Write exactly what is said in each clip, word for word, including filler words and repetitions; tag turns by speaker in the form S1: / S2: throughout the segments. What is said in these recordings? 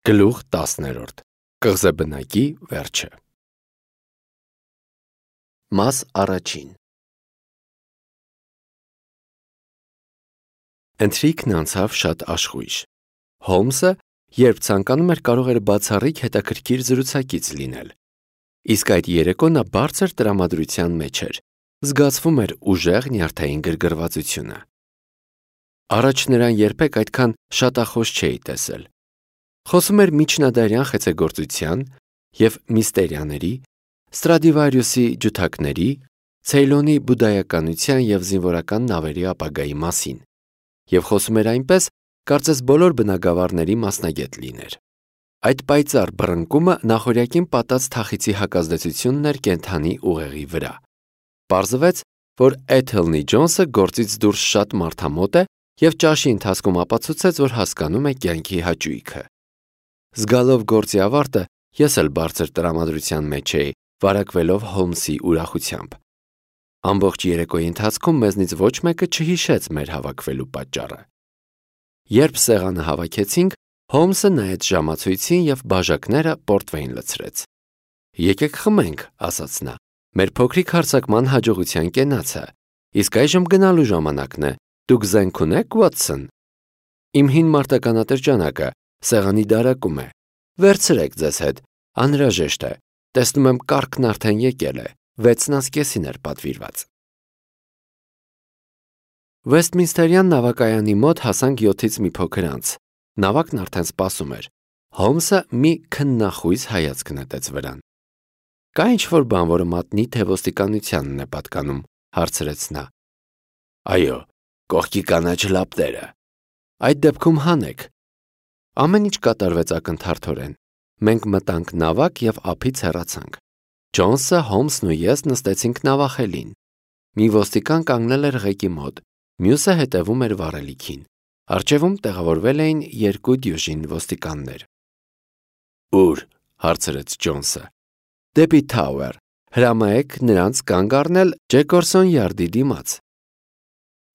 S1: Գլուխ տասներորդ. Կղզեբնակի վերջը։ Մաս առաջին։ Ընթրիքն անցավ շատ աշխույժ։ Հոլմսը, երբ ցանկանում էր, կարող էր բացառիկ հետաքրքիր զրուցակից լինել։ Իսկ այդ երեկո նա բարձր տրամադրության մեջ էր, զգացվում էր ուժեղ նյարդային գրգռվածությունը։ Առաջ նրան երբեք այդքան շատախոս չէի տեսել։ Խոսում էր միջնադարյան խեցեգործության և միստերիաների, Ստրադիվարիուսի ջութակների, Ցեյլոնի բուդդայականության և զինվորական նավերի ապագայի մասին, և խոսում էր այնպես, կարծես բոլոր բնագավառների մասնագետ լիներ։ Այդ պայծառ բռնկումը նախօրյակին պատած թախիծի հակազդեցությունն էր կենդանի ուղեղի վրա։ Պարզվեց, որ Էթելնի Ջոնսը գործից դուրս շատ մարդամոտ է և ճաշի ընթացքում ապացուցեց, որ հասկանում է կյանքի հաճույքը։ Զգալով գործի ավարտը, ես էլ բարձր տրամադրության մեջ էի, վարակվելով Հոլմսի ուրախությամբ։ Ամբողջ երեկոյի ընթացքում մեզնից ոչ մեկը չհիշեց մեր հավաքվելու պատճառը։ Երբ սեղանը հավաքեցինք, Հոլմսը նայեց ժամացույցին և բաժակները պորտվեյն լցրեց։ «Եկեք խմենք», ասաց նա, «մեր փոքրիկ հարձակման հաջողության կենացը, իսկ այժմ գնալու ժամանակն է, դուք զենք ունե՞ք, Ուոտսոն»։ Իմ հին մարտական ատրճանակը սեղանի դարակում է։ Վերցրեք ձեզ հետ, անհրաժեշտ է, տեսնում եմ կառքն արդեն եկել է, վեցն անց կեսին էր պատվիրված։ Վեսթմինսթերյան նավակայանի մոտ հասանք յոթից մի փոքր անց։ Նավակն արդեն սպասում էր։ Հոլմսը մի քննախույս հայացք նետեց վրան։ «Կա ինչ-որ բան, որը մատնի, թե ոստիկանությանն է պատկանում», հարցրեց նա։ «Այո, կողքի կանաչ լապտերը»։ «Այդ դեպքում հանեք»։ Ամեն ինչ կատարվեց ակնթարթորեն։ Մենք մտանք նավակ և ափից հեռացանք։ Ջոնսը, Հոլմսն ու ես նստեցինք նավախելին։ Մի ոստիկան կանգնել էր ղեկի մոտ, մյուսը հետևում էր վառելիքին։ Առջևում տեղավորվել էին երկու դյուժին ոստիկաններ։ «Ո՞ւր», հարցրեց Ջոնսը։ «Դեպի Թաուեր, հրամայեք նրանց կանգ առնել Ջեկորսոն յարդի դիմաց»։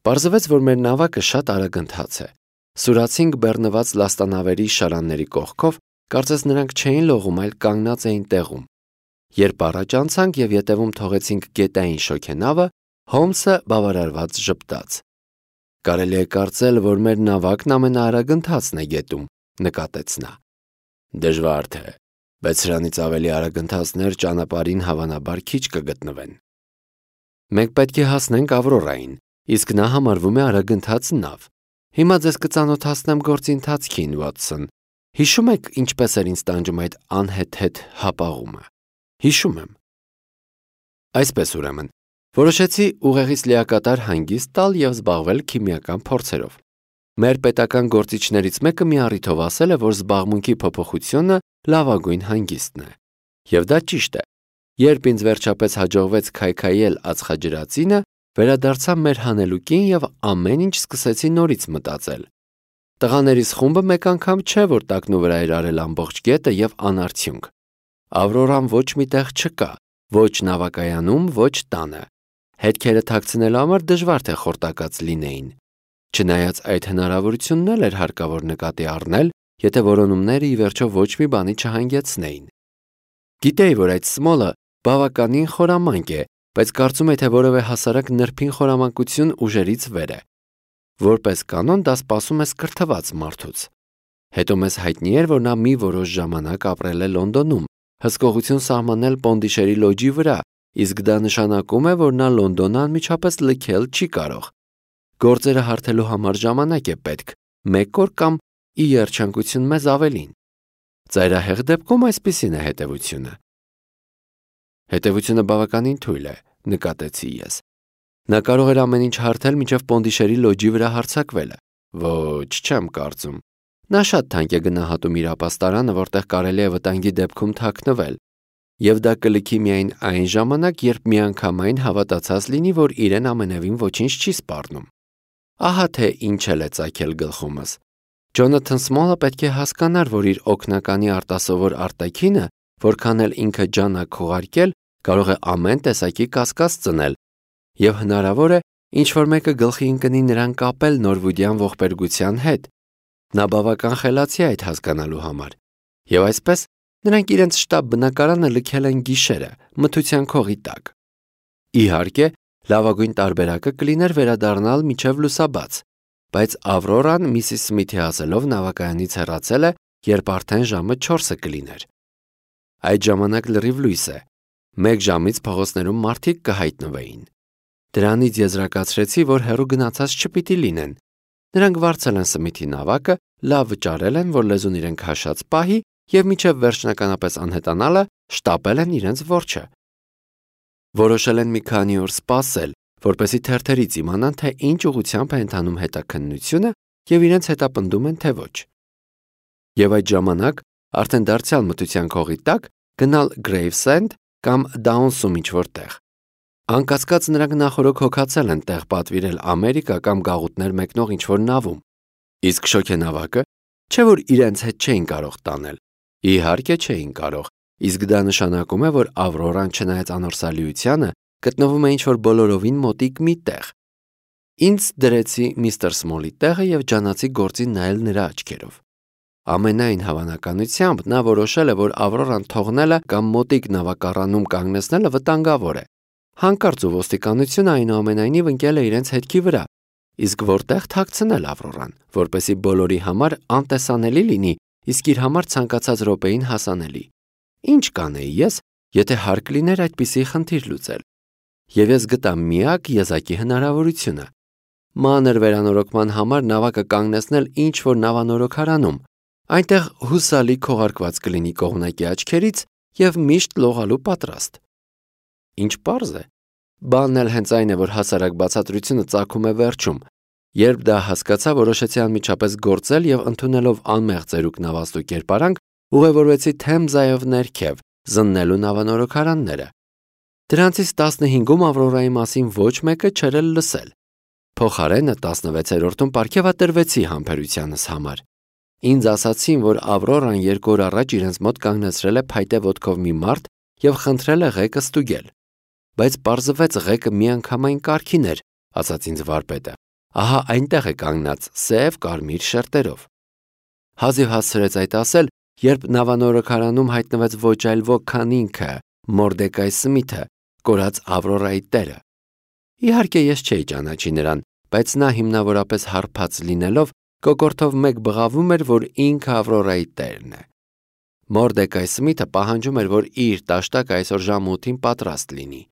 S1: Պարզվեց, որ մեր նավակը շատ արագընթաց է։ Սուրացինք բեռնված լաստանավերի շարանների կողքով, կարծես նրանք չէին լողում, այլ կանգնած էին տեղում։ Երբ առաջ անցանք և ետևում թողեցինք գետային շոգենավը, Հոլմսը բավարարված ժպտաց։ «Կարելի է կարծել, որ մեր նավակն ամենաարագընթացն է գետում», նկատեց նա։ «Դժվար թե, բայց սրանից ավելի արագընթացներ ճանապարհին հավանաբար քիչ կգտնվեն»։ «Մենք պետք է հասնենք Ավրորային, իսկ նա համարվում է արագընթաց նավ։ Հիմա ձեզ կծանոթացնեմ գործի ընթացքին, Ուոտսոն։ Հիշո՞ւմ եք, ինչպես էր ինձ տանջում այդ անհեթեթ հապաղումը»։ «Հիշում եմ»։ Այսպես ուրեմն, որոշեցի ուղեղից լիակատար հանգիստ տալ և զբաղվել քիմիական փորձերով։ Մեր պետական գործիչներից մեկը մի առիթով ասել է, որ զբաղմունքի փոփոխությունը լավագույն հանգիստն է։ Եվ դա ճիշտ է։ Երբ ինձ վերջապես հաջողվեց քայքայել ածխաջրածինը, վերադարձա մեր հանելուկին և ամեն ինչ սկսեցի նորից մտածել։ Տղաներիս խումբը մեկ անգամ չէ, որ տակնու վրա էր արել ամբողջ գետը և անարդյունք։ Ավրորան ոչ մի տեղ չկա, ոչ նավակայանում, ոչ տանը։ Հետքերը թաքցնելու համար դժվար թե խորտակած լինեին։ Չնայած այդ հնարավորությունն էլ էր հարկավոր նկատի առնել, եթե որոնումները ի վերջո ոչ մի բանի չհանգեցնեին։ Գիտեի, որ այդ Սմոլը բավականին խորամանկ է, բայց կարծում եի, թե որևէ հասարակ նրբին խորամանկություն ուժերից վեր է։ Որպես կանոն դա սպասում է սկրթված մարդուց։ Հետո մեզ հայտնի էր, որ նա մի որոշ ժամանակ ապրել է Լոնդոնում, հսկողություն սահմանել Պոնդիշերի լոջի վրա, իսկ դա նշանակում է, որ նա Լոնդոնը անմիջապես լքել չի կարող։ Գործերը հարթելու համար ժամանակ է պետք, մեկ օր կամ ի երջանկություն մեզ ավելին։ Ծայրահեղ դեպքում այսպիսին է հետևությունը։ Հետևությունը բավականին թույլ է, նկատեցի ես։ Նա կարող էր ամեն ինչ հարթել մինչև Պոնդիշերի լոջի վրա հարձակվելը։ Ոչ, չեմ կարծում։ Նա շատ թանկ է գնահատում իր ապաստարանը, որտեղ կարելի է վտանգի դեպքում թաքնվել։ Եվ դա կլքի միայն այն ժամանակ, երբ միանգամայն հավատացած լինի, որ իրեն ամենևին ոչինչ չի սպառնում։ Ահա թե ինչ էլ է ծագել գլխումս։ Ջոնաթան Սմոլը պետք է հասկանար, որ իր օգնականի արտասովոր արտաքինը, որքան էլ ինքը ջանք ուղարկել, կարող է ամեն տեսակի կասկած ծնել, և հնարավոր է, ինչ-որ մեկը գլխի ընկնի նրան կապել նորվուդյան ողբերգության հետ։ Նա բավական խելացի է այդ հասկանալու համար։ Եվ այսպես նրանք իրենց շտապ բնակարանը լքել են գիշերը մթության քողի տակ։ Իհարկե, լավագույն տարբերակը կլիներ վերադառնալ մինչև լուսաբաց, բայց Ավրորան միսիս Սմիթի ասելով նավակայանից հեռացել է, երբ արդեն ժամը չորսը կլիներ։ Այդ ժամանակ լրիվ լույս է։ Մեկ ժամից փողոցներում մարդիկ կհայտնվեին։ Դրանից եզրակացրեցի, որ հեռու գնացած չպիտի լինեն։ Նրանք վարձել են Սմիթի նավակը, լավ վճարել են, որ լեզուն իրենք հաշած պահի և մինչև վերջնականապես անհետանալը շտապել են իրենց որջը։ Որոշել են մի քանի օր սպասել, որպեսզի թերթերից իմանան, թե ինչ ուղղությամբ է ընթանում հետաքննությունը և իրենց հետապնդում են, թե ոչ։ Եվ այդ ժամանակ արդեն դարձյալ մթության քողի տակ գնալ Գրեյվսենդ կամ Դաունսում ինչ-որ տեղ։ Անկասկած նրանք նախօրոք հոգացել են տեղ պատվիրել Ամերիկա կամ գաղութներ մեկնող ինչ-որ նավում։ Իսկ շոգենավակը, չէ՞ որ իրենց հետ չէին կարող տանել։ Իհարկե չէին կարող, իսկ դա նշանակում է, որ Ավրորան չնայած անորսալիությանը գտնվում է ինչ-որ բոլորովին մոտիկ մի տեղ։ Ինձ դրեցի միստր Սմոլի տեղը և ջանացի գործին նայել նրա աչքերով։ Ամենայն հավանականությամբ նա որոշել է, որ Ավրորան թողնելը կամ մոտիկ նավակառանում կանգնեցնելը վտանգավոր է։ Հանկարծ ու ոստիկանությունը այնուամենայնիվ ընկել է իրենց հետքի վրա, իսկ որտեղ թաքցնել Ավրորան, որպեսզի բոլորի համար անտեսանելի լինի, իսկ իր համար ցանկացած րոպեին հասանելի։ Ինչ կանեի ես, եթե հարկ լիներ այդպիսի խնդիր լուծել։ Եվ ես գտա միակ եզակի հնարավորությունը։ Մանր վերանորոգման համար նավակը կանգնեցնել ինչ-որ նավանորոգարանում, այնտեղ հուսալի քողարկված կլինի կողմնակի աչքերից և միշտ լողալու պատրաստ։ Ինչ պարզ է։ Բանն էլ հենց այն է, որ հասարակ բացատրությունը ծագում է վերջում։ Երբ դա հասկացա, որոշեցի անմիջապես գործել և ընդունելով անմեղ ծերուկ նավաստու կերպարանք, ուղևորվեցի Թեմզայով ներքև, զննելու նավանորոգարանները։ Դրանցից տասնհինգում Ավրորայի մասին ոչ մեկը չէր էլ լսել։ Փոխարենը տասնվեցերորդում պարգևատրվեցի համբերությանս համար։ Ինձ ասացին, որ Ավրորան երկու օր առաջ իրենց մոտ կանգնեցրել է փայտե ոտքով մի մարդ և խնդրել է ղեկը ստուգել։ Բայց պարզվեց ղեկը միանգամայն կարգին էր, ասաց ինձ վարպետը։ Ահա այնտեղ է կանգնած սև կարմիր շերտերով։ Հազիվ հասցրեց այդ ասել, երբ նավանորոգարանում հայտնվեց ոչ այլ ոք, քան ինքը, Մորդեկայ Սմիթը, կորած Ավրորայի տերը։ Իհարկե ես չէի ճանաչի նրան, բայց նա հիմնավորապես հարբած լինելով կոկորդով մեկ բղավում էր, որ ինքը Ավրորայի տերն է։ Մորդեկայ Սմիթը պահանջում էր, որ իր տաշտակը այսօր ժամը ութին պատրաստ լինի։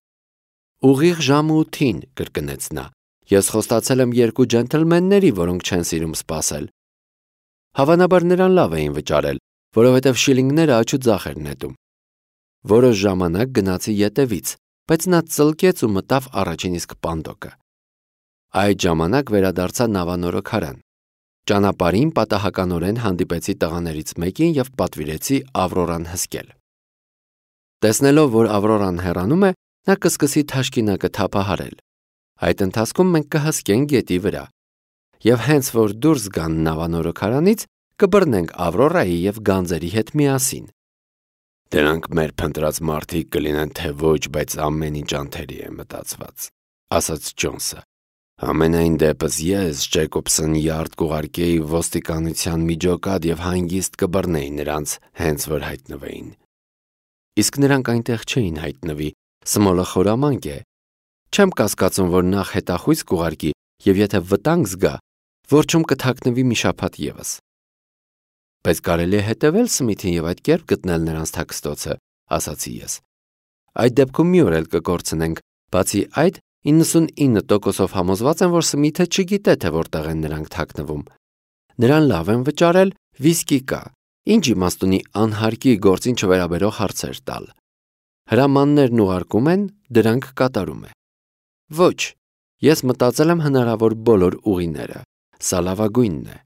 S1: Ուղիղ ժամը ութին, կրկնեց նա։ Ես խոստացել եմ երկու ջենթլմենների, որոնք չեն սիրում սպասել։ Հավանաբար նրան լավ էին վճարել, որովհետև շիլինգները աչուձախ էր նետում։ Որոշ ժամանակ գնացի ետևից, բայց նա ծլկեց ու մտավ առաջին իսկ պանդոկը։ Այդ ժամանակ վերադարձա նավանորոգարան։ Ճանապարհին պատահականորեն հանդիպեցի տղաներից մեկին և պատվիրեցի Ավրորան հսկել։ Տեսնելով, որ Ավրորան հեռանում է, նա կսկսի թաշկինակը թափահարել։ Այդ ընթացքում մենք կհսկենք գետի վրա։ Եվ հենց որ դուրս գան նավանորոգարանից, կբռնենք Ավրորայի և գանձերի հետ միասին։ Դրանք մեր փնտրած մարդիկ կլինեն, թե ոչ, բայց ամեն ինչ անթերի է մտածված, ասաց Ջոնսը։ Ամենայն դեպս ես Ջեյկոբսն Յարդ կուղարկեի ոստիկանության միջոկատ և հանգիստ կբռնեի նրանց, հենց որ հայտնվեին։ Իսկ նրանք այնտեղ չէին հայտնվի, Սմոլը խորամանկ է։ Չեմ կասկածում, որ նախ հետախույզ կուղարկի և եթե վտանգ զգա, որջում կթաքնվի մի շաբաթ ևս։ Բայց կարելի է հետևել Սմիթին և այդ կերպ գտնել նրանց թաքստոցը, ասացի ես։ Այդ դեպքում մի օր էլ կկորցնենք, բացի այդ իննսունինը տոկոսով համոզված եմ, որ Սմիթը չգիտե, թե որտեղ են նրանք թաքնվում։ Նրան լավ են վճարել, վիսկի կա, ինչ իմաստ ունի անհարկի գործին չվերաբերող հարցեր տալ։ Հրամաններն ուղարկում են, դրանք կատարում է։ Ոչ, ես մտածել եմ հնարավոր բոլոր ուղիները, սա լավագույնն է։